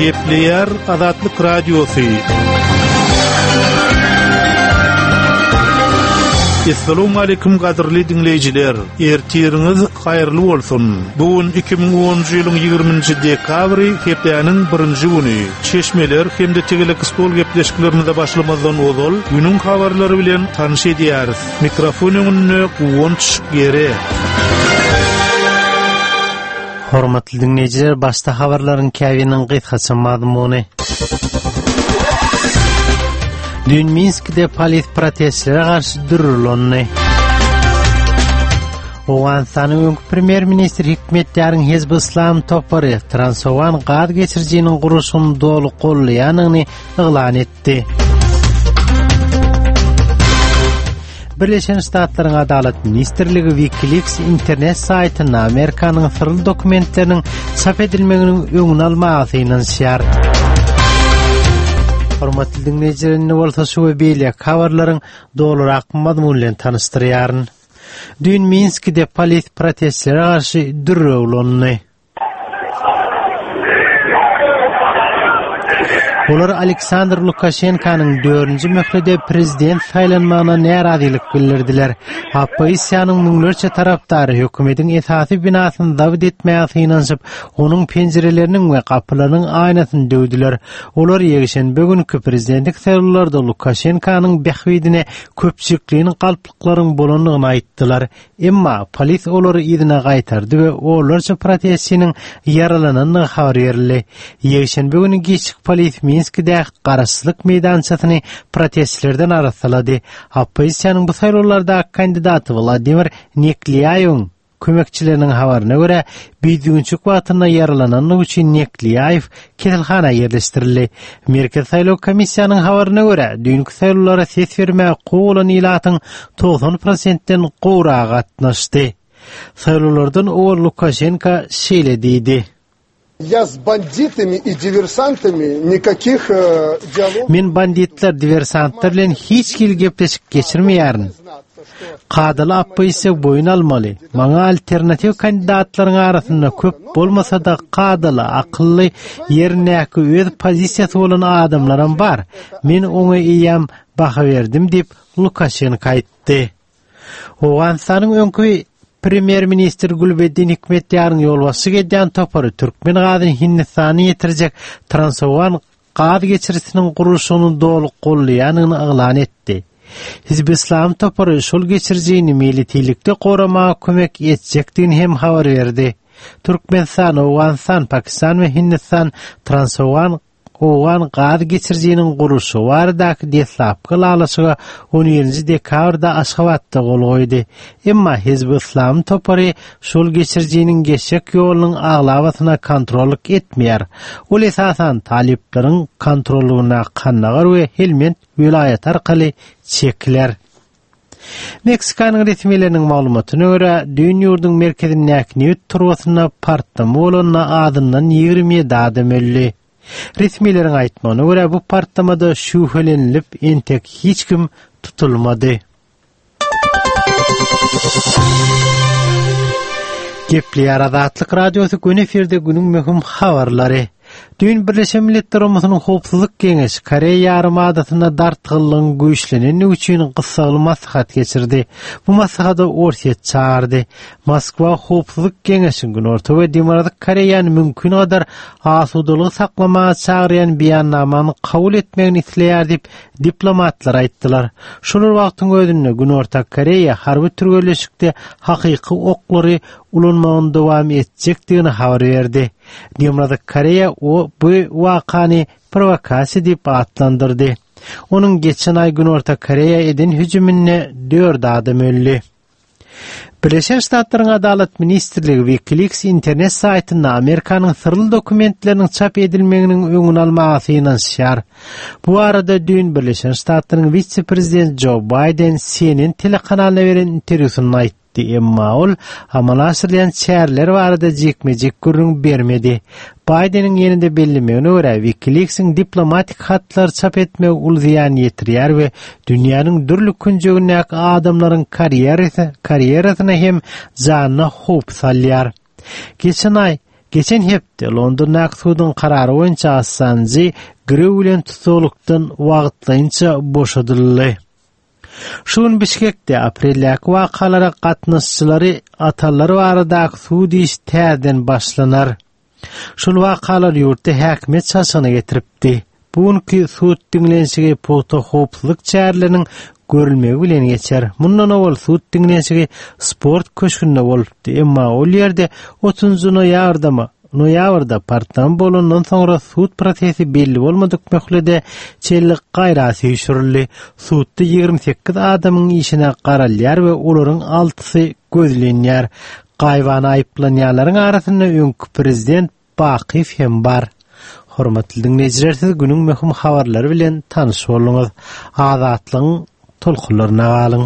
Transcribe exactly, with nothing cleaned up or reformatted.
Gepleýär Azatlyk Radiosy. Essalamu aleýkum gadyrly diňleýjiler. Ertiriňiz haýyrly bolsun. Bu gün iki müň onunjy ýylyň ýigriminji dekabry, hepdäniň birinji güni. Çeşmeler hem-de tegelek stol gepleşiklerimize başlamazdan ozal günüň habarlary bilen tanyş edýäris. Mikrofon öňünde Guwanç Gere. Hormatly dinleýjiler, başda habarlaryň käbiriniň gysgaça mazmuny. Dün Minskde polis protestlere garşy dürülandy. Owganystanyň öňki premýer-ministri Hikmetýaryň Hizb Islam topary Transowgan gaz geçirijiniň gurluşygyny doly gollaýandygyny yglan etdi. Birleşen Ştatlaryň Adalat Ministrligi WikiLeaks internet saýtynda Amerikanyň syrly dokumentleriniň çap edilmeginiň öňüni almaga synanyşýar. Hormatly diňleýjiler, indi bolsa şu we beýleki habarlaryň dolurak mazmuny bilen tanyşdyrýaryn. Düýn Minskide polis protestlere garşy dürre ulandy. Olar Aleksandr Lukaşenkanyň dördünji möhlede prezident saýlanmagyna närazylyk bildirdiler. Oppozisiýanyň müňlerçe tarapdary hökümetiň esasy binasyny zabt etmäge synanyşyp, onuň penjireleriniň we gapylarynyň aýnasyny döwdüler. Olar ýekşenbe günki prezidentlik saýlawlarda Lukaşenkanyň bähbidine köpçülikleýin galplyklaryň bolandygyny aýtdylar. Emma polis olary yzyna gaýtardy we onlarça protestçiniň ýaralanandygy habar berildi. Ýekşenbe güni giçlik polis Minskidäki Garaşsyzlyk meýdançasyny protestçilerden arassalady. Oppozisiýanyň bu saýlawlardaky kandidaty Wladimir Neklýaýewiň kömekçileriniň habaryna görä, bidüwünçik wagtynda ýaralanandygy üçin Neklýaýew keselhana ýerleşdirildi. Merkezi saýlaw komissiýanyň habaryna görä, düýnki saýlawlara ses bermäge hukugy bolan ilatyň togsan prosentden gowragy gatnaşdy. Saýlawlardan owal Lukaşenko şeýle diýdi. Я с banditami i diversantami nikakih dialog Men banditler, diversantlar bilen hiç hili gepleşik geçirmeýärin. Kadaly oppozisiýa boýun almaly. Maňa alternatiw kandidatlaryň arasynda köp bolmasa-da kadaly, akylly, ýerindäki öz pozisiýasy bolan adamlaram bar. Men oňa eýýäm baha berdim diýip, Lukaşenko aýtdy. Owganystanyň öňki premýer-ministri Gülbeddin Hikmetýaryň ýolbaşçylyk edýän topary türkmen gazyny Hindistana ýetirjek Transowgan gaz geçirijisiniň gurluşygyny doly gollaýandygyny yglan etdi. Hizb Islam topary şol geçirijini militilikde goramaga kömek etjekdigini hem habar berdi. Türkmenistan, Owganystan, Pakistan we Hindistan Transowgan Owgan gaz geçirijiniň gurluşygy baradaky deslapky ylalaşyga on birinji dekabrda Aşgabatda gol goýdy. Emma Hizb Islam topary şol geçirijiniň geçjek ýolunyň aglabasyna kontrollyk etmeýär. Ol esasan talyplaryň kontrollygyndaky Kandagar we Helmend welaýaty arkaly çekiler. Meksikanyň resmileriniň maglumatyna görä, düýn ýurduň merkezindäki nebit turbasynda partlama bolanda azyndan ýigrimi ýedi adam öldi. Resmileriň aýtmagyna görä, bu partlamada şübhelenilip entek hiç kim tutulmady. Gepleýär Azatlyk Radiosy, gün efirde günüň möhüm habarlary. Düýn Birleşen Milletler Guramasynyň Howpsuzlyk Geňeşi Koreýa ýarymadasynda dartgynlygyň güýçlenendigi üçin gyssagly maslahat geçirdi. Bu maslahata Orsýet çagyrdy. Moskwa Howpsuzlyk Geňeşiň Günorta we Demirgazyk Koreýany mümkin gadar asudalygy saklamaga çagyrýan beýannamany kabul etmegini isleýär diýip, diplomatlar aýtdylar. Şol bir wagtyň özünde Günorta Koreýa harby türgenleşikde hakyky oklary ulanmagyny dowam etjekdigini habar berdi. Demirgazyk Koreýa o bu wakany prowokasiýa diýip atlandyrdy. Onuň geçen aý Günorta Koreýa eden hüjüminde dört adam öldi. Birleşen Ştatlaryň Adalat Ministrligi WikiLeaks internet saýtynda Amerikanyň syrly dokumentleriniň çap edilmeginiň öňüni almaga synanyşýar. Bu barada düýn Birleşen Ştatlaryň wise-prezidenti Jo Baýden C N N telekanalyna beren interwýusynda aýtdy. Emma ol amala aşyrylýan çäreler barada jikme-jik gürrüň bermedi. Baýdeniň ýene-de bellemegine görä, WikiLeaksiň diplomatik hatlary çap etmegi uly zyýan ýetirýär we dünýäniň dürli künjegindäki adamlaryň karýerasyna hem janyna howp salýar. Geçen aý Geçen hepde Londondaky suduň karary boýunça Assanjy girew bilen tussaglykdan wagtlaýynça boşadyldy. Şu gün Bişkekde apreldäki wakalara gatnaşyjylary atanlar baradaky sud işi täzeden başlanar. Şol wakalar ýurtda häkimiýet çalşygyna getiripdi. Bu günki sud diňlenişigi pugta howpsuzlyk çäreleriniň görülmegi bilen geçer. Mundan owal sud diňlenişigi sport köşgünde bolupdy. Emma ol ýerde otuzynjy noýabrda noýabrda partlama bolandan soňra sud prosesi belli bolmadyk möhlete çenli gaýra süýşürildi. Sudda ýigrimi sekiz adamyň işine garalýar we olaryň altysy gözlenýär. Gaýybana aýyplanýanlaryň arasynda öňki prezident Bakyýew hem bar. Hormatly diňleýjiler, siz günüň möhüm habarlary bilen tanyş bolduňyz. Azatlygyň tolkunlaryna galyň.